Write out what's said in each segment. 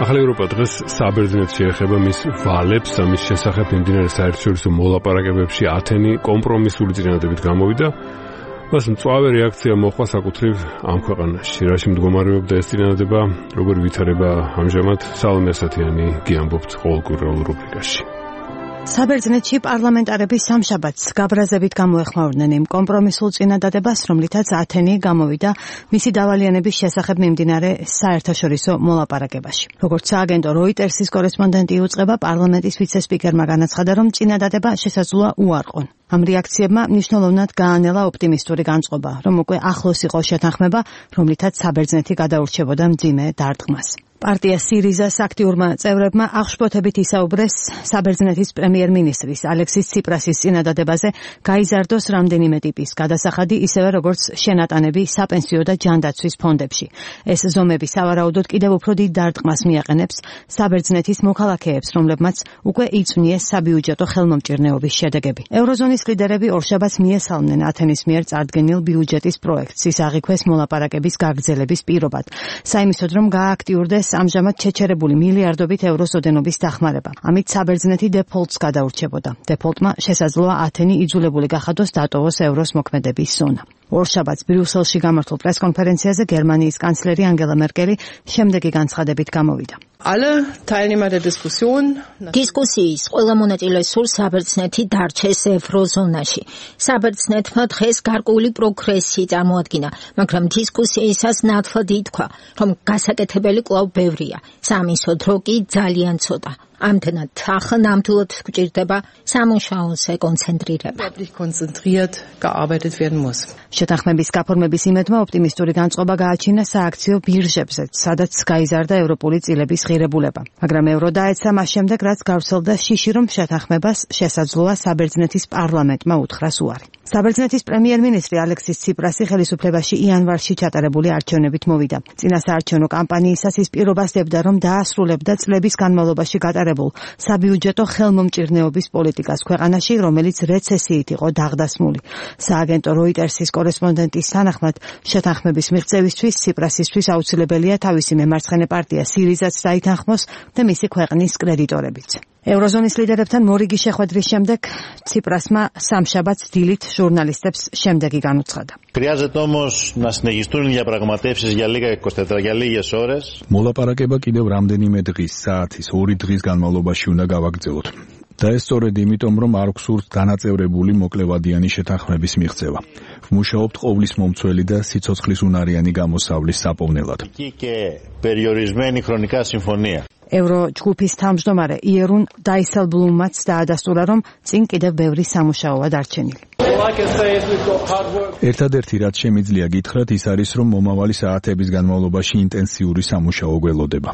ახალი ევროპა დღეს საბერძნეთში ეხება მის ვალებს და მის შესახებ მიმდინარე საერთაშორისო მოლაპარაკებებში ათენი კომპრომისული წინადადებით გამოვიდა. მას მწვავე რეაქცია მოჰყვა საკუთრივ ამ ქვეყანაში. რაში მდგომარეობდა ეს წინადადება, როგორ ვითარება ამჟამად, სალომე ასათიანი გიამბობთ ყოველკვირეულ რუბრიკაში. საბერძნეთში პარლამენტარები სამშაბათს გაბრაზებით გამოეხმაურნენ იმ კომპრომისულ წინადადებას, რომლითაც ათენი გამოვიდა მისი დავალიანების შესახებ მიმდინარე საერთაშორისო მოლაპარაკებაში. როგორც სააგენტო როიტერსის კორესპონდენტი უწყება, პარლამენტის ვიცე-სპიკერმა განაცხადა, რომ წინადადება შესაძლოა უარყონ. ამ რეაქციებმა მნიშვნელოვნად გაანელა ოპტიმისტური განწყობა, რომ უკვე ახლოს იყო შეთანხმება, რომლითაც საბერძნეთი გადაურჩებოდა მძიმე დარტყმას. პარტია სირიზას აქტიურმა წევრებმა აღშფოთებით ისაუბრეს საბერძნეთის პრემიერ-მინისტრის ალექსის ციპრასის წინადადებაზე გაიზარდოს რამდენიმე ტიპის გადასახადი, ისევე როგორც შენატანები საპენსიო და ჯანდაცვის ფონდებში. ეს ზომები სავარაუდოდ კიდევ უფრო დიდ დარტყმას მიაყენებს საბერძნეთის მოქალაქეებს, რომლებმაც უკვე იწვნიეს საბიუჯეტო ხელმომჭირნეობის შედეგები. ევროზონის ლიდერები ორშაბათს მიესალმნენ ათენის მიერ წარდგენილ ბიუჯეტის პროექტს, ის აღიქვეს მოლაპარაკების გაგრძელების პირობად. საიმისოდ, რომ გააქტიურდეს ამჟამად ჩეჩერებული მილიარდობით ევროს ოდენობის დახმარება. ამით საბერძნეთი დეფოლტს გადაურჩებოდა. დეფოლტმა შესაძლოა ათენი იძულებული გახადოს დატოვოს ევროს მოქმედების ზონა. ორშაბათს ბრიუსელში გამართულ პრესკონფერენციაზე გერმანიის კანცლერი ანგელა მერკელი შემდეგი განცხადებით გამოვიდა. დისკუსიის ყველა მონაწილე სურს საბერძნეთი დარჩეს ევროზონაში. საბერძნეთმა დღეს გარკვეული პროგრესი წარმოადგინა, მაგრამ დისკუსიისას ნათლად ითქვა, რომ გასაკეთებელი კვლავ ბევრია, სამისოდ რო კი ძალიან ცოტა. ამდენად ახლა ნამდვილად გვჭირდება სამუშაოზე კონცენტრირება. შეთანხმების გაფორმების იმედმა ოპტიმისტური განწყობა გააჩინა სააქციო ბირჟებზე, სადაც გაიზარდა ევროპული წილების ღირებულება. მაგრამ ევრო დაეცა მას შემდეგ, რაც გავრცელდა შიში, რომ შეთანხმებას შესაძლოა საბერძნეთის პარლამენტმა უთხრას უარი. საბერძნეთის პრემიერ-მინისტრი ალექსის ციპრასი ხელისუფლებაში იანვარში ჩატარებული არჩევნებით მოვიდა. წინა საარჩევნო კამპანიისას ის პირობას დებდა, რომ დაასრულებდა წლების განმავლობაში გატარებულ საბიუჯეტო ხელმომჭირნეობის პოლიტიკას ქვეყანაში, რომელიც რეცესიით იყო დაღდასმული. სააგენტო როიტერსის კორესპონდენტის თანახმად, შეთანხმების მიღწევისთვის ციპრასისთვის აუცილებელია თავისი მემარცხენე პარტია სირიზაც დაითანხმოს და მისი ქვეყნის კრედიტორებიც. ევროზონის ლიდერებთან მორიგი შეხვედრის შემდეგ ციპრასმა სამშაბათს დილით ჟურნალისტებს შემდეგი განუცხადა. მოლაპარაკება კიდევ რამდენიმე დღის, საათის, 2 დღის განმავლობაში უნდა გავაგრძელოთ. და ეს სწორედ იმიტომ, რომ არ გვსურთ დანაწევრებული მოკლევადიანი შეთანხმების მიღწევა. ვმუშაობთ ყოვლის მომცველი და სიცოცხლის უნარიანი გამოსავლის საპოვნელად. ევრო ჯგუფის თავმჯდომარე იერუნ დაისელბლუმმაც დაადასტურა, რომ წინ კიდევ ბევრი სამუშაოა დარჩენილი. ერთადერთი რაც შემიძლია გითხრათ, ის არის, რომ მომავალი საათების განმავლობაში ინტენსიური სამუშაო გველოდება.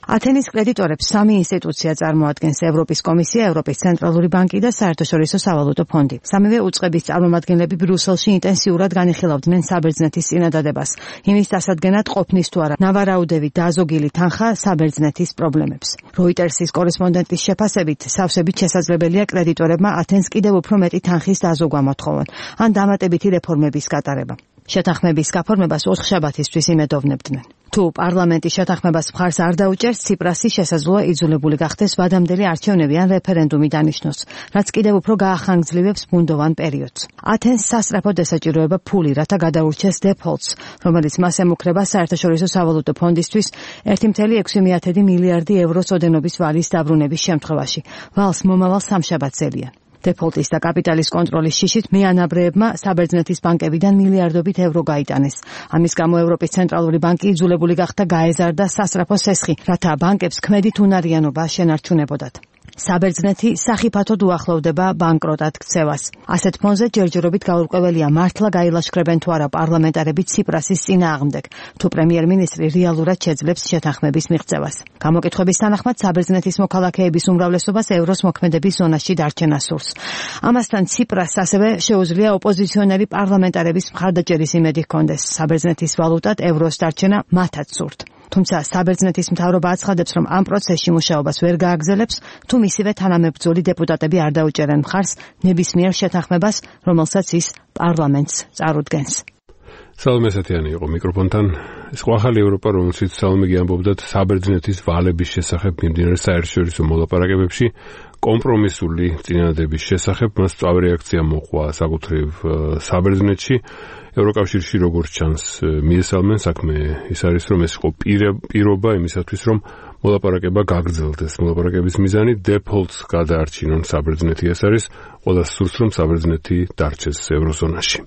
ათენის კრედიტორებს 3 ინსტიტუცია წარმოადგენს: ევროპის კომისია, ევროპის ცენტრალური ბანკი და საერთაშორისო სავალუტო ფონდი. სამივე უწყების წარმომადგენლები ბრიუსელში ინტენსიურად განიხილავდნენ საბერძნეთის წინადადებას, იმის დასადგენად ყოფნის თუ არა ნავარაუდევი დაზოგილი თანხა საბერძნეთის პრობლემებს. როიტერსის კორესპონდენტის შეფასებით, სავსებით შესაძლებელია კრედიტორებმა ათენს კიდევ უფრო მეტი თანხის დაზოგვა მოთხოვონ, ან დამატებითი რეფორმების გატარება. შეთანხმების გაფორმებას 4 შაბათისთვის იმედოვნებდნენ. თუ პარლამენტი შეთანხმებას მხარს არ დაუჭერს, ციპრასი შესაძლოა იძულებული გახდეს ვადამდელი არჩევნები ან რეფერენდუმი დანიშნოს, რაც კიდევ უფრო გაახანგრძლივებს ბუნდოვან პერიოდს. ათენს სასწრაფოდ ესაჭიროება ფული, რათა გადაურჩეს დეფოლტს, რომელიც მას ემუქრება საერთაშორისო სავალუტო ფონდისთვის 1,6 მილიარდი ევროს ოდენობის ვალის დაბრუნების შემთხვევაში. ვალს მომავალ სამშაბათს ელიან. დეფოლტის და კაპიტალის კონტროლის შიშით მეანაბრეებმა საბერძნეთის ბანკებიდან მილიარდობით ევრო გაიტანეს. ამის გამო ევროპის ცენტრალური ბანკი იძულებული გახდა გაეზარდა სასწრაფო სესხი, რათა ბანკებს ქმედით უნარიანობა შენარჩუნებოდათ. საბერძნეთი სახიფათოდ უახლოვდება ბანკროტად ქცევას. ასეთ ფონზე ჯერჯერობით გაურკვეველია მართლა გაილაშქრებენ თუ არა პარლამენტარები ციპრასის წინააღმდეგ, თუ პრემიერ-მინისტრი რეალურად შეძლებს შეთანხმების მიღწევას. გამოკითხვების თანახმად საბერძნეთის მოქალაქეების უმრავლესობას ევროს მოქმედების ზონაში დარჩენა სურს. ამასთან ციპრასს ასევე შეუძლია ოპოზიციონერი პარლამენტარების მხარდაჭერის იმედი ჰქონდეს. საბერძნეთის ვალუტად ევროს დარჩენა მათაც სურთ. თუმცა საბერძნეთის მთავრობა აცხადებს, რომ ამ პროცესში მუშაობას ვერ გააგრძელებს, თუ მისივე თანამებრძოლი დეპუტატები არ დაუჭერენ მხარს ნებისმიერ შეთანხმებას, რომელსაც ის პარლამენტს წარუდგენს. სალომე ესათიანი იყო მიკროფონთან. ეს ახალი ევროპა, რომელშიც სალომე ამბობდათ საბერძნეთის ვალების შესახებ მიმდინარე საერთაშორისო მოლაპარაკებებში კომპრომისული წინადადების შესახებ მას სწავრი რეაქცია მოყვა საკუთრივ საბერძნეთში. ევროკავშირში როგორც ჩანს მიესალმენ საქმე ის არის, რომ ეს იყო პირობა იმისათვის, რომ მოლაპარაკება გაგრძელდეს. მოლაპარაკების მიზანი დეფოლტს გადაარჩინონ საბერძნეთი. ეს არის ყველა სურს, რომ საბერძნეთი დარჩეს ევროზონაში.